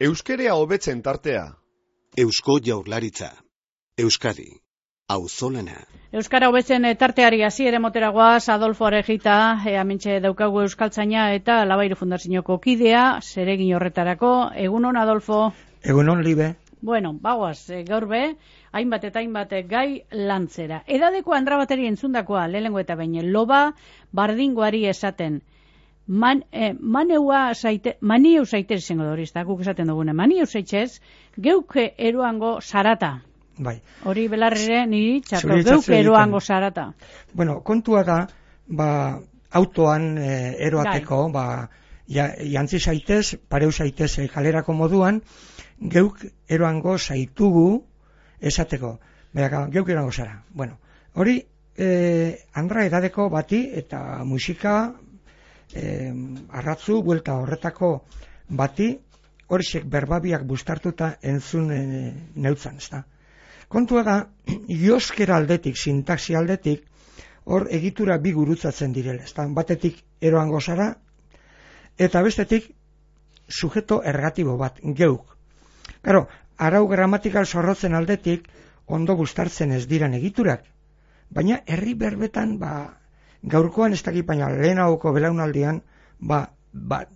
Euskerea hobetzen tartea. Eusko Jaurlaritza. Euskadi. Auzolana. Euskara hobetzen tarteari hasiera moteragoaz Adolfo Arejita, amintxe daukagu euskaltzaina eta Labairu Fundazioko kidea, zeregin horretarako. Egunon, Adolfo? Egunon, Libe. Bueno, bagoaz, gaur be, hainbat eta hainbat gai lantzera. Edadeko andra bateri entzundakoa, lehenengo eta baino, loba bardingoari esaten. Maniu zaitez izango da hori, ez da, guk esaten dugune. Maniu zaitez, geuke eroango zarata. Bai. Hori belarrire niri txarto, geuke eroango zarata. Bueno, kontua da, autoan eroateko, jantzi zaitez, pareu zaitez kalerako moduan, geuk eroango zaitugu esateko. Geuk eroango zara. Bueno, hori andra edadeko bati eta musika, arratzu, buelta horretako bati, horixek berbabiak bustartuta entzun neutzan, ez da. Kontua da, joskera aldetik, sintaxi aldetik, hor egitura bi gurutzatzen direla, ez da. Batetik eroango zara, eta bestetik sujeto ergatibo bat, geuk. Claro, arau gramatikal zorrotzen aldetik, ondo bustartzen ez diran egiturak, baina herri berbetan, gaurkoan ez dakit, baina lehenagoko belaunaldian,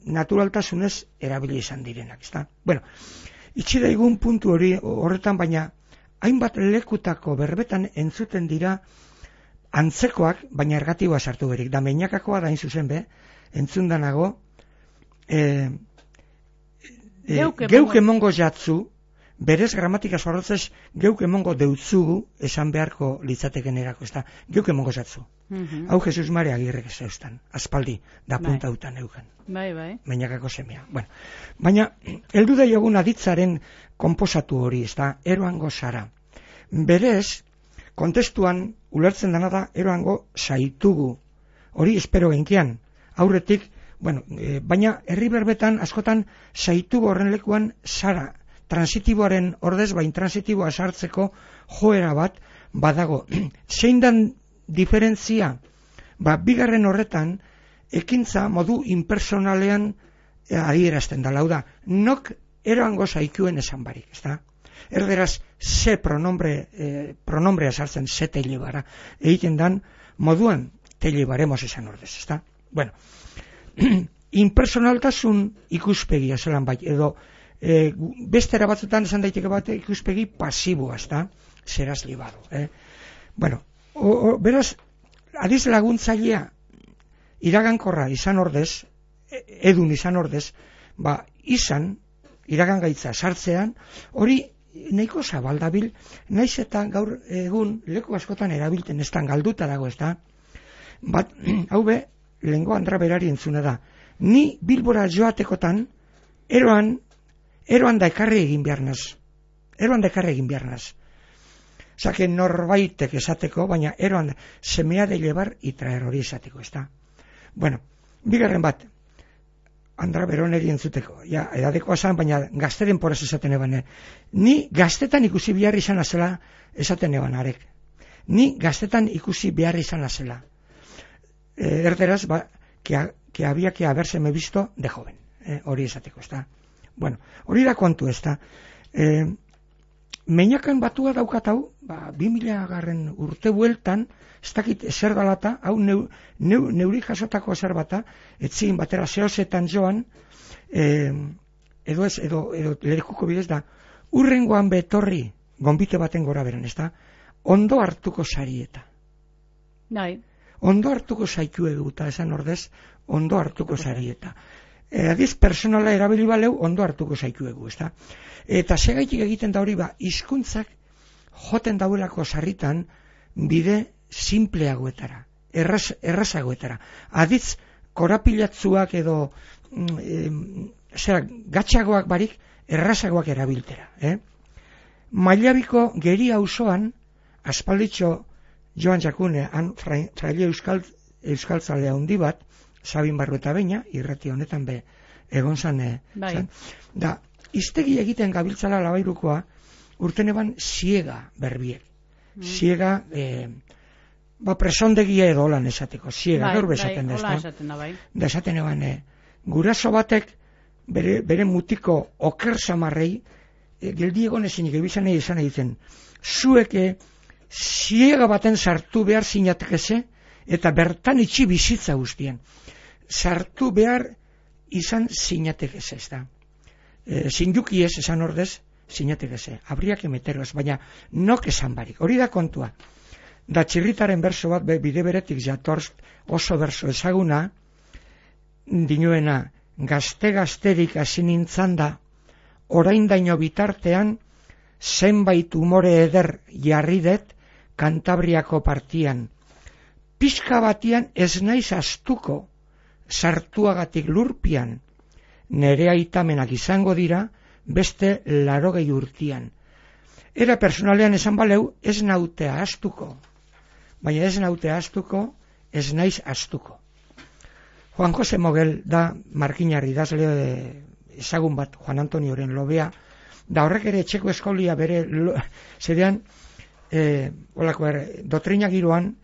naturaltasunez erabili izan direnak, ezta? Bueno, itxi daigun puntu hori horretan, baina hainbat lekutako berbetan entzuten dira antzekoak, baina ergatiboa sartu berik. Da meinakakoa da zuzen be, entzundanago, geuk emongo jatzu, berez gramatika zorrotzez geuk emongo deutzugu esan beharko litzateken erako, ez da, geuk emongo jatzu. Hau Jesus Mare Agirrek ez zeustan, aspaldi, da punta dutan euken. Bai. Meinakako semea. Bueno, baina, heldu da jogun aditzaren konposatu hori, ez da, eroango zara. Berez, kontestuan ulertzen dena da, eroango zaitugu. Hori espero genkian, aurretik, bueno, baina herri berbetan askotan zaitugu horren lekuan zara, transitiboaren ordez, bain transitiboa sartzeko joera bat badago. Zein dan diferentzia? Bigarren horretan, ekintza modu impersonalean adierazten da, lauda, nok eroango zaikuen esan barik, ez da? Erderaz, ze pronombrea sartzen, ze teilebara, egiten dan, moduan teilebaremos esan ordez, ez da? Bueno, impersonaltasun ikuspegia zelan bai, edo bestera batzutan esan daiteke bat ikuspegi pasiboa, ez da? Zeraz libado, Bueno, beraz, adiz laguntzailea iragankorra izan ordez, edun izan ordez, izan, iragangaitza sartzean, hori nahiko zabaldabil, naiz eta gaur egun leku askotan erabilten ez da, galduta dago, ez da? Hau be, lehengo andra berari entzuna da, ni Bilbora joatekotan, eroan da ekarri egin beharnaz. Zake norbaitek esateko, baina eroan semea de llevar y traer hori esateko, ez da? Bueno, bigarren bat, andra beroneri entzuteko, edadekoa zan, baina gazteren poraz esaten eban. Ni gaztetan ikusi behar izan azela esaten eban arek. Ni gaztetan ikusi behar izan azela. Erderaz, que había que haberseme visto de joven. Hori esateko, ez da? Bueno, hori da kontu, ez da? Meinakan batua daukat hau, 2000 urte bueltan, ez dakit ezer dalata, hau neuri jasotako ezer bata, etzin batera zehozetan joan, edo lerikuko bidez da, urrengoan betorri, gonbite baten gora beran, ez da? Ondo hartuko sarieta. Ondo hartuko zaituegu, eta esan ordez, ondo hartuko sarieta. Adiz, personala erabili baleu, ondo hartuko zaituegu, ez da? Eta segaitik egiten da hori, hizkuntzak joten dauelako sarritan bide simpleagoetara, errazagoetara. Adiz, korapilatzuak edo gatxagoak barik errazagoak erabiltera. Mailabiko Geri auzoan, aspalditxo Joan Jakune, fraile euskal euskaltzalea handi bat, Sabin Barruetabeña, irrati honetan be, egon zan, Bai. da, iztegi egiten gabiltzala Labairukoa, urten eban siega berbiek. Siega, presondegia edo holan esateko, siega, gaur bezaten da, hola esaten da, bai. Da esaten eban, guraso batek bere mutiko oker samarrei, geldi egon ezinik ebizan esan egiten, zuek siega baten sartu behar zinatekeze, eta bertan itxi bizitza guztien. Sartu behar izan zinatekeze, ez da. Zinduki ez, esan ordez, zinatekeze. Habría que meteros, baina nok esan barik. Hori da kontua. Da Txirritaren berso bat, bide beretik jatorz oso berso ezaguna, dinoena, gazte-gazterik hasi nintzan da, oraindaino bitartean, zenbait umore eder jarri det Kantabriako partian. Pixka batian ez naiz astuko, sartuagatik lurpian, nere aitamenak izango dira, beste 80 urtian. Era personalean esan baleu, ez nautea astuko, baina ez nautea astuko, ez naiz astuko. Juan Jose Mogel da markinarri idazle ezagun bat, Juan Antonioren lobea, da horrek ere etxeko eskolia bere zedean, dotrina giroan,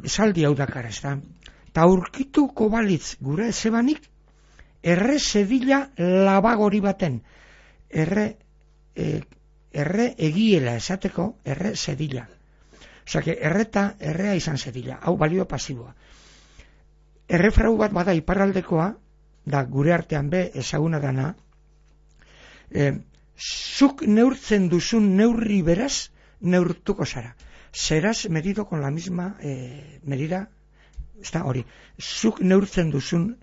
esaldi hau dakar, ez da. Ta aurkituko balitz gure zebanik, erre zedila labagori baten, erre egiela esateko, erre zedila. Osake, errea izan zedila, hau balio pasiboa. Errefrau bat bada iparraldekoa, da gure artean be ezaguna dana, zuk neurtzen duzun neurri beraz, neurtuko zara. Serás medido con la misma medida, está hori. Zuk neurtzen duzun,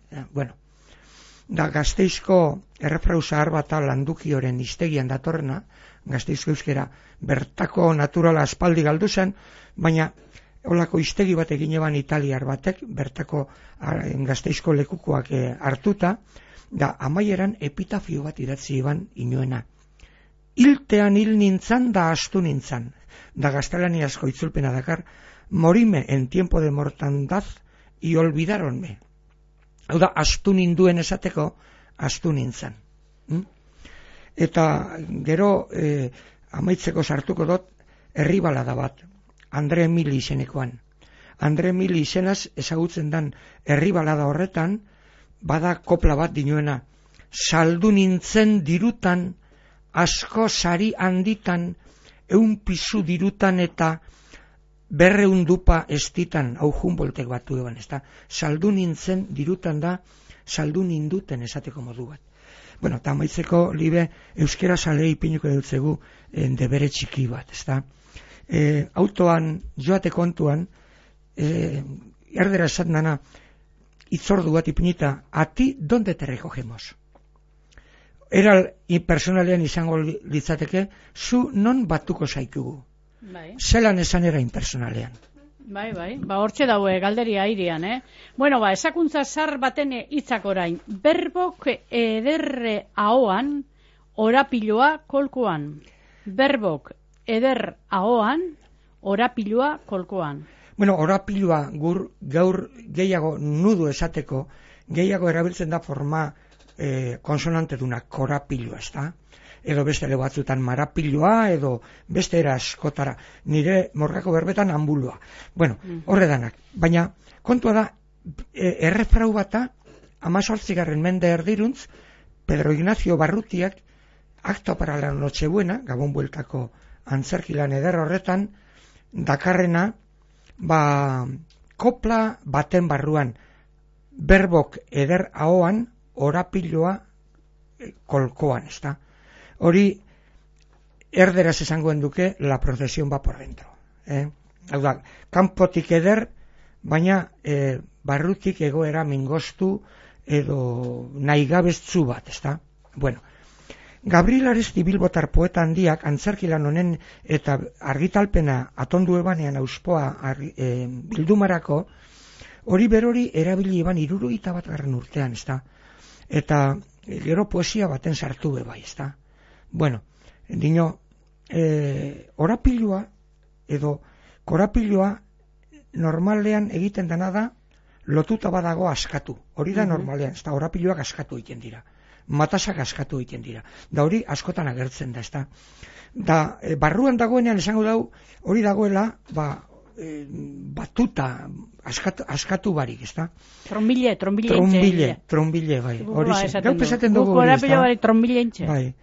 da Gasteizko errefrau zahar bat Landukioren hiztegian datorrena, Gasteizko euskera bertako naturala aspaldi galdu zen, baina holako hiztegi bat egin eban italiar batek, bertako Gasteizko lekukoak hartuta, da amaieran epitafio bat idatzi eban inoena. Hiltean hil nintzan da astu nintzan, da gaztelaniazko itzulpena dakar, morime en tiempo de mortandad y olvidaronme. Hau da, astu ninduen esateko, astu nintzan. Eta gero amaitzeko sartuko dut herri balada bat, Andre Emili izenekoan. Andre Emili izenaz ezagutzen dan herri balada horretan, bada kopla bat dinoena, saldu nintzen dirutan, asko sari handitan, 100 pisu dirutan eta 200 dupa estitan, hau Humboldtek batu eban, ez da, saldu nintzen dirutan da, saldu ninduten esateko modu bat. Bueno, eta maitzeko libe euskera sale ipinuko dutzegu debere txiki bat, ez da. Autoan, joate kontuan, erdera esaten dana, itzordu bat ipinita, a ti, donde te recogemos? Era personalean izango litzateke, zu non batuko zaitugu. Bai. Zelan esan era impersonalean. Bai, hortxe daue galderia airean, Bueno, esakuntza zar baten hitzak orain. Berbok ederre ahoan, orapiloa kolkoan. Berbok eder ahoan, orapiloa kolkoan. Bueno, orapiloa gaur gehiago nudu esateko, gehiago erabiltzen da forma konsonante duna, korapiloa, ez da? Edo beste ere batzutan marapiloa, edo beste era askotara. Nire morgako berbetan ambuloa. Bueno, horre danak. Baina, kontua da, errefrau bata, 18. mende erdiruntz, Pedro Ignacio Barrutiak, Acto para la Nochebuena, Gabon bueltako antzerkilan eder horretan, dakarrena, kopla baten barruan, berbok eder ahoan, orapiloa kolkoan, ez da? Hori, erderaz esangoen duke, la procesión va por dentro. Hau da, kanpotik eder, baina barrutik egoera mingostu edo naigabeztzu bat, ez da? Bueno, Gabriel Aresti Bilbotar poeta handiak antzerkilan honen eta argitalpena atondu ebanean auspoa bildumarako, hori berori erabili eban 71. urtean, ez da? Eta gero poesia baten sartu bai, ez da? Bueno, dino, orapiloa edo korapiloa normalean egiten dena da, lotuta badago askatu. Hori da normalean, ez da, orapiloak askatu egiten dira. Matasak askatu egiten dira. Da hori askotan agertzen da, ez da. Da, barruan dagoenean esango dau, hori dagoela, batuta, askatu barik, ez da. Trombile, bai. Gau pesaten dugu hori, ez da. Trombile trombile entxe. Bai.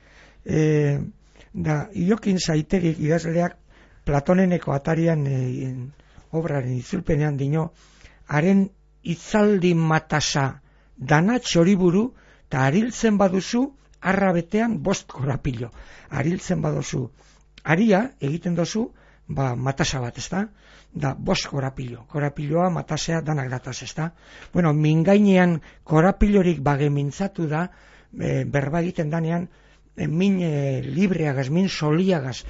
Da, Iokin Saitegik idazleak Platoneneko atarian obraren itzulpenean dino, haren itzaldi matasa dana txoriburu, eta ariltzen baduzu, arra betean 5 korapilo. Ariltzen baduzu, aria egiten dozu, matasa bat, ez da? Da, 5 korapilo. Korapiloa, matasea, danak dataz, ez da? Bueno, mingainean korapilorik mintzatu da, berba egiten danean, min libreagaz, min soliagaz,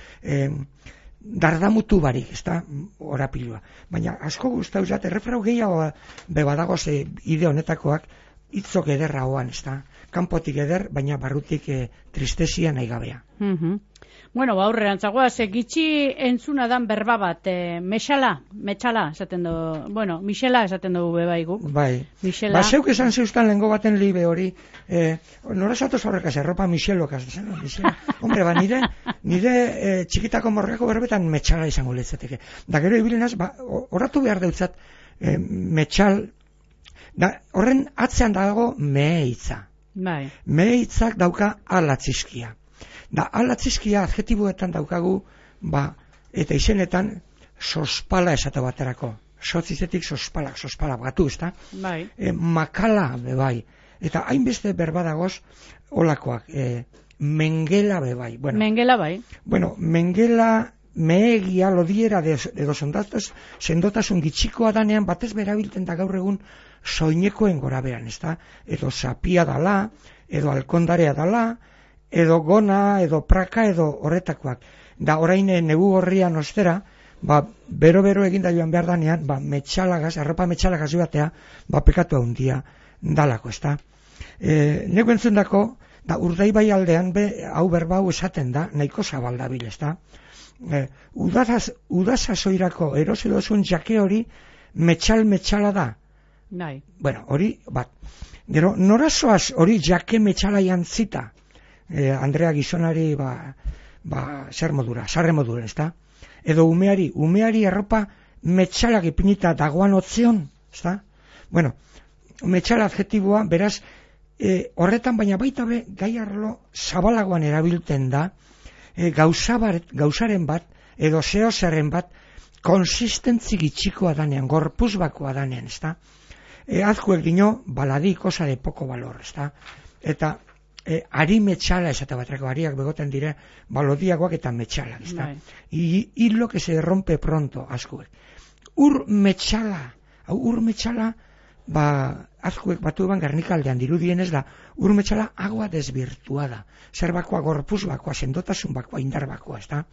dardamutu barik, ez da, orapiloa. Baina, asko guztau zat, errefrau gehiago bebadagoz ide honetakoak, hitzok ederra hoan, ez da. Kanpotik eder, baina barrutik tristesia nahi gabea. Bueno, aurrerantzagoa, gitxi entzuna dan berba bat, metxala, esaten dugu, bueno, Michela esaten dugu bebai guk. Bai, Michela. Zeuk esan zeustan lehengo baten libe hori, nora zatoz horrekaz, erropa Michelokaz, Michela. Hombre, nire txikitako morgako berbetan metxala izango lehetzeteke. Da gero ibilenaz, horatu behar deutzat, metxal, horren atzean dago mehitza. Bai. Mehitzak dauka alatzizkia. Da, alatzizkia adjetiboetan daukagu, eta izenetan, sospala esate baterako. Sotzizetik sospala batu, ezta? Bai. Makala, bai. Eta hainbeste berbadagoz, olakoak. Mengela, bai. Bueno, Mengela, bai. Bueno, mengela, mehegia, lodiera, edo sendotasun gitxikoa danean, batez berabilten da gaur egun, soinekoen gorabean, ezta? Edo sapia dala, edo alkondarea dala, edo gona, edo praka, edo horretakoak. Da, orain negu gorrian ostera, bero eginda joan behar danean, metxalagaz, arropa metxalagaz joatea, pekatu handia dalako, ezta? Nego entzundako, da, Urdaibai aldean, hau berbau esaten da, nahiko zabaldabil, ezta? Udazazoirako erosedozun jake hori, metxala da. Bai. Bueno, hori, gero, norazoaz hori jake metxala jantzita, Andrea gizonari, zer modura, sarre modura, ezta? Edo umeari arropa metxalak ipinita dagoan otzion, ezta? Bueno, metxala adjetiboa, beraz, horretan baina baita be, gai arlo zabalagoan erabiltzen da, gauzaren bat, edo zehozaren bat, konsistentzi gitxikoa danean, gorpuz bakoa danean, ezta? Azkuek dino, baladi cosa de poco valor, ezta? Eta, ari metxala esate batrako, ariak begoten dire, balodiagoak eta metxala, ezta? Hilo que se rompe pronto, azkuek. Ur metxala, azkuek batu eban Gernikaldean dirudienez da, ur metxala agua desvirtuada, zer bakoa, gorpuz bakoa, sendotasun bakoa, indar bakoa, ezta?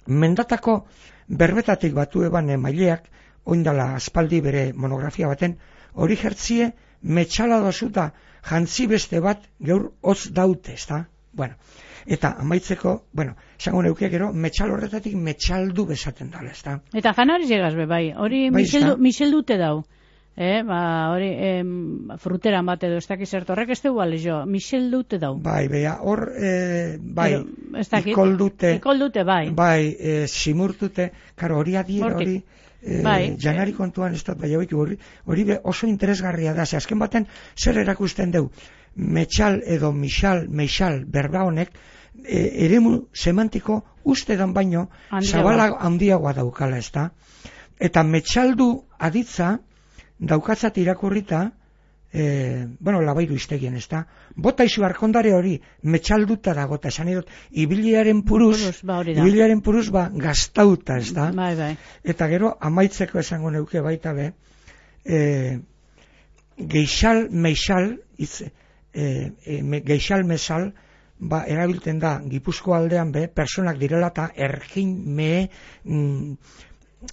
Mendatako berbetatik batu eban maileak, oindala aspaldi bere monografia baten, hori jertzie metxala dozuta jantzi beste bat gaur hotz daute, ezta? Bueno, eta amaitzeko, esango neuke gero, metxal horretatik metxaldu bezaten dala, ezta? Eta janariz egaz bai, hori Michel dute dau. Hori fruteran bat edo, ez dakiz horrek ez dugu alezo, Michel dute dau. Hor, ikol dute, simurtute, karo, hori adiera, hori, janari kontuan ez dut, hori oso interesgarria da, azken baten zer erakusten deu, metxal edo meixal berba honek, eremu semantiko ustedan baino, zabala handiagoa daukala, ez da? Eta metxaldu aditza, daukatzat irakurrita, labairu iztegien, ez da? Bota izu arkondare hori, metxalduta dagota, esan edot, ibiliaren puruz, gaztauta, ez da? Eta gero, amaitzeko esango neuke baita be, geixal mesal, erabilten da, Gipuzko aldean be, personak direla eta ergin mehe,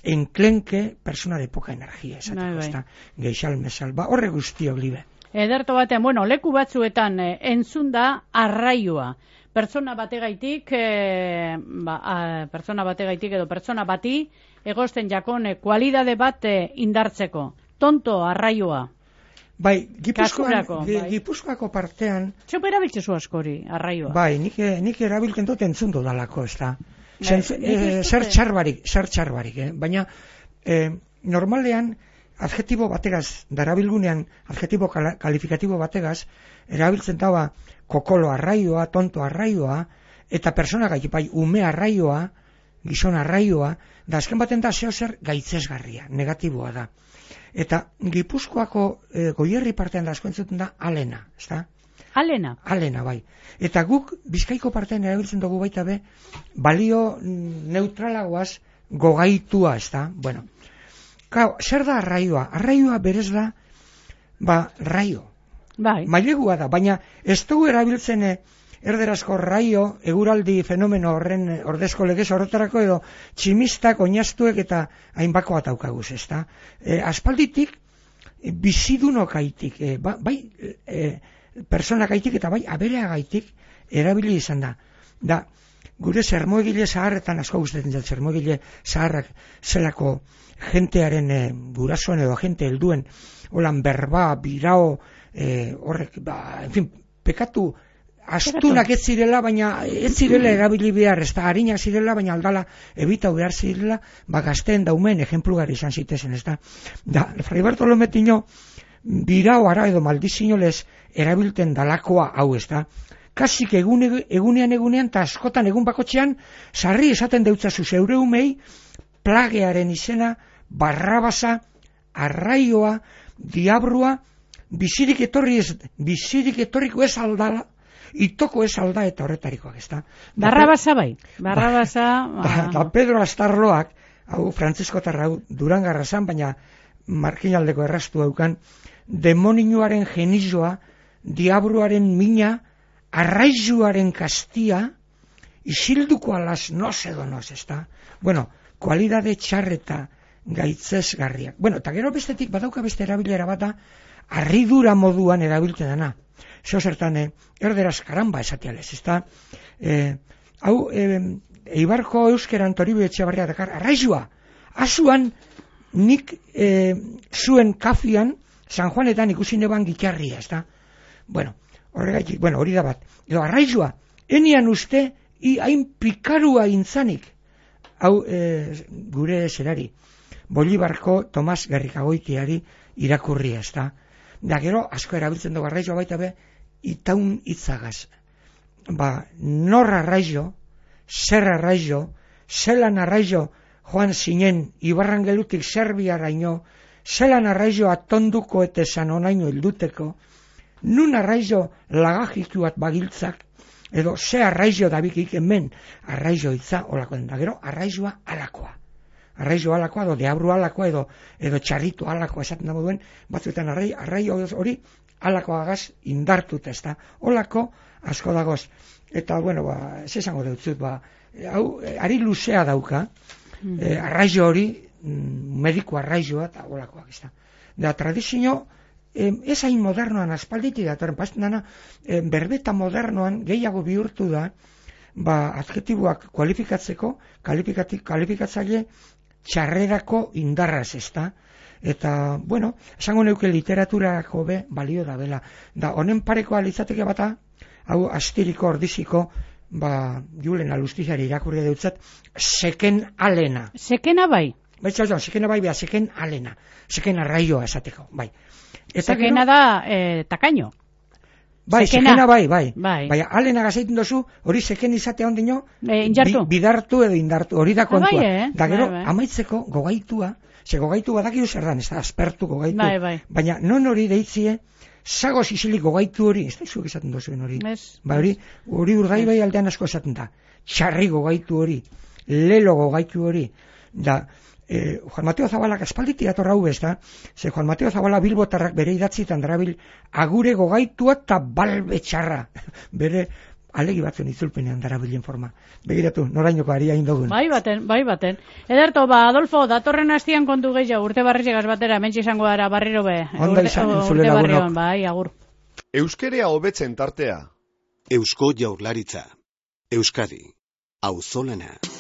enklenke persona de poca energia, esateko, geixal mesal, horre guztiok libe. Ederto batean, leku batzuetan entzun da arraioa. pertsona bategaitik, pertsona bategaitik edo pertsona bati egosten jakon kualidade bat indartzeko. Tonto arraioa. Bai, Kasurako, bai. Gipuzkoako partean... Zeupe erabiltzezu askori, arraioa. Bai, nik erabiltzen dut entzundu dalako, ez da. Zer txarbarik, baina normalean adjetibo bategaz, darabilgunean adjetibo kalifikatibo bategaz, erabiltzen daua kokolo arraioa, tonto arraioa, eta persona gaitik, bai, ume arraioa, gizon arraioa, da azken baten da zeo zer gaitzesgarria, negatiboa da. Eta Gipuzkoako Goierri partean da asko entzuten da alena, ez da? Alena? Alena, bai. Eta guk Bizkaiko partean erabiltzen dugu baita be, balio neutralagoaz gogaitua, ez da? Bueno, zer da arraioa? Arraioa berez da, raio. Bai. Mailegua da, baina ez dugu erabiltzen erderazko raio, eguraldi fenomeno horren ordezko legez horretarako edo tximistak, oinaztuek eta hainbako bat daukaguz, ez da? Aspalditik, bizidunokaitik, bai, personakaitik eta bai, abereagaitik erabili izan da. Da, gure zermoegile zaharretan, asko gustatzen dut, zermoegile zaharrak zelako jentearen gurasoen edo jente helduen, holan berba, birao, horrek, en fin, pekatu astunak ez zirela, baina ez zirela erabili behar, ez da harinak zirela, baina aldala ebitau behar zirela, gazteen daumen ejemplugar izan zitezen, ez da. Da, Fray Bartolome Tino, birao ara edo maldizinolez erabilten dalakoa hau, ez da. Kasik egunean, eta askotan egun bakotxean, sarri esaten deutzazu zeure umei, plagearen izena, barrabasa, arraioa, diabrua, bizirik etorriko ez aldala, itoko ez alda eta horretarikoak, ez da. Barrabasa bai, Barrabasa... Da Pedro Astarloak, hau Frantziskotarra hau Durangarra zan, baina markinaldeko erraztu daukan, demoninuaren genizoa, diabruaren mina, arraizuaren kastia, isilduko alaz noz edo noz, ez da. Bueno, kualidade txarreta gaitzesgarriak. Bueno, eta gero bestetik badauka beste erabilera bata, harridura moduan erabiltzen dana. Zeo zertan, erderaz karamba esatialez, ez da? Hau, Eibarko euskeran Toribio Etxebarria dakar, arraizua, azuan nik zuen kafian, San Juanetan ikusi neban gitarria, ez da? Bueno, horregaitik, hori da bat. Edo arraizua, enian uste, hain pikarua intzanik, hau gure zerari, Bolibarko Tomas Gerrikagoitiari irakurria, ez da? Da gero, asko erabiltzen dugu arraizua baita be, itaun hitzagaz. Nor arraizo, zer arraizo, zelan arraizo joan zinen Ibarrangelutik Serbiaraino, zelan arraizo atonduko eta esan onaino hilduteko, nun arraizo lagajitu bat bagiltzak, edo ze arraizo dabikik hemen arraizo hitza olako den. Da gero, arraizoa alakoa. Arraizo alakoa, edo deabru alakoa, edo txarritu alakoa esaten dago duen, batzuetan arraio hori alakoagaz indartut, ez da. Olako asko dagoz. Eta, ez esango dutzut, hau, ari luzea dauka, arraizo hori, mediku arraizoa, eta olakoak, ez da. Da, tradizio, ez hain modernoan aspalditik datorren, pasten dana, berbeta modernoan gehiago bihurtu da, adjetiboak kualifikatzeko, kalifikatzaile txarrerako indarraz, ez da. Eta, esango neuke literaturako be balio da bela. Da, honen parekoa litzateke bata, hau astiriko ordiziko, Julen Alustiziari irakurri dutzat, seken alena. Sekena bai? Sekena bai, seken alena. Seken arraioa esateko, bai. Sekena da takaino. Bai, sekena bai. Baina, alena gazeiten dozu, hori seken izatea ondino, bidartu edo indartu, hori da kontua. Da gero, amaitzeko gogaitua, ze gogaitu badakidu zer dan, ez da, aspertu gogaitu. Baina, non hori deitzie, zagoz isilik gogaitu hori, ez da izuek esaten dozuen hori. Hori Urdaibai aldean asko esaten da. Txarri gogaitu hori, lelo gogaitu hori. Da, Juan Mateo Zabalak aspalditik atorra hau ez da, ze Juan Mateo Zabala Bilbotarrak bere idatzitan darabil agure gogaitua eta balbe txarra. Bere alegi batzen itzulpenean darabilen forma. Begiratu, norainoko ari hain dugun. Bai baten. Ederto, Adolfo, datorren hastian kontu gehiago, urte barrizegaz batera, mentxe izango gara barriro be. Onda izan, entzule lagunok. Bai, agur. Euskerea hobetzen tartea. Eusko Jaurlaritza. Euskadi, auzolana.